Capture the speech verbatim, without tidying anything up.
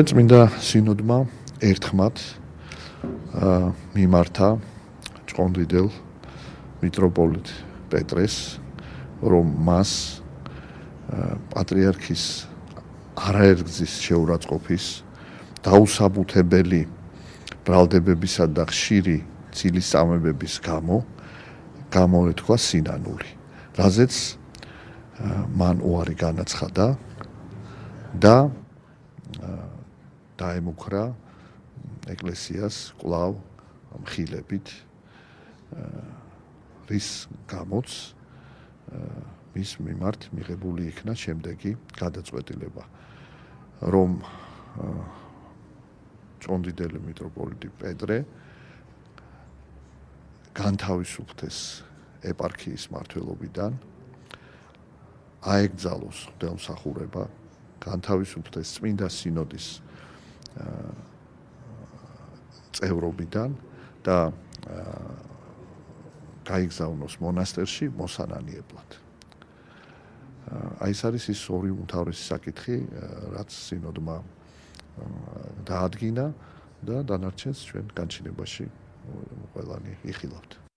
წმინდა სინოდმა ერთხმად მიმართა ჭყონდიდელ მიტროპოლიტ პეტრეს, რომ მას პატრიარქის არაერთგზის შეურაცხყოფის დაუსაბუთებელი ბრალდებებისა და ხშირი ცილისწამებების გამო გამოეთქვა სინანული, რაზეც მან უარი განაცხადა და დაემუქრა ეკლესიას კვლავ მხილებით, რის გამოც მის მიმართ მიღებული იქნა შემდეგი გადაწყვეტილება, რომ ჭყონდიდელი მიტროპოლიტი პეტრე განთავისუფლდეს ეპარქიის მმართველობიდან, აეკრძალოს ღვთისმსახურება, განთავისუფლდეს წმინდა სინოდის წევრობიდან და გაიგზავნოს მონასტერში მოსანანიებლად. აი ეს არის ის ორი უმთავრესი საკითხი, რაც სინოდმა დაადგინა და დანარჩენს ჩვენ განჩინებაში ყველანი იხილავთ.